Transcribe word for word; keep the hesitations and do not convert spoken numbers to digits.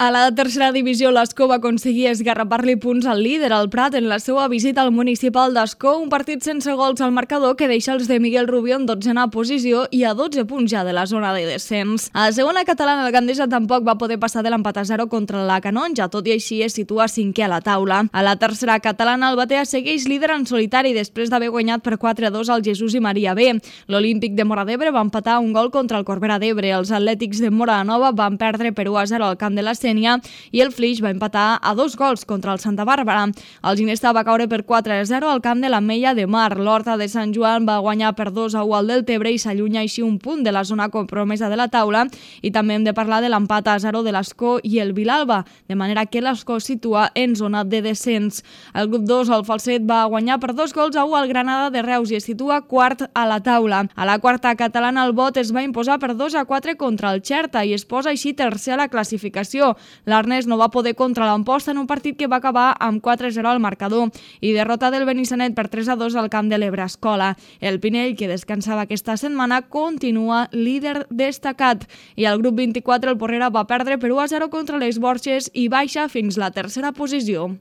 A la tercera divisió, l'Escó va aconseguir esgarrapar-li punts al líder, el Prat, en la seva visita al municipal d'Escó, un partit sense gols al marcador que deixa els de Miguel Rubio en dotzena posició i a dotze punts ja de la zona de descens. A la segona catalana, el Gandesa tampoc va poder passar de l'empat a zero contra la Canonja, tot i així es situa cinquè a la taula. A la tercera catalana, el Batea segueix líder en solitari després d'haver guanyat per quatre a dos al Jesús i Maria B. L'Olímpic de Móra d'Ebre va empatar un gol contra el Corbera d'Ebre. Els Atlètics de Móra Nova van perdre per u a zero al camp de la i el Flix va empatar a dos gols contra el Santa Bàrbara. El Ginesta va caure per quatre a zero al camp de l'Ametlla de Mar. L'Horta de Sant Joan va guanyar per dos a u al Deltebre i s'allunya així un punt de la zona compromesa de la taula. I també hem de parlar de l'empat a zero de l'Escó i el Vilalba, de manera que l'Escó situa en zona de descens. El grup dos, el Falset, va guanyar per dos gols a u al Granada de Reus i es situa quart a la taula. A la quarta catalana, el Bot es va imposar per dos a quatre contra el Xerta i es posa així tercer a la classificació. L'Arnes no va poder contra l'Amposta en un partit que va acabar amb quatre a zero al marcador i derrota del Benissanet per tres a dos al camp de l'Ebre Escola. El Pinell, que descansava aquesta setmana, continua líder destacat i al grup vint-i-quatre el Porrera va perdre per u a zero contra les Borges i baixa fins la tercera posició.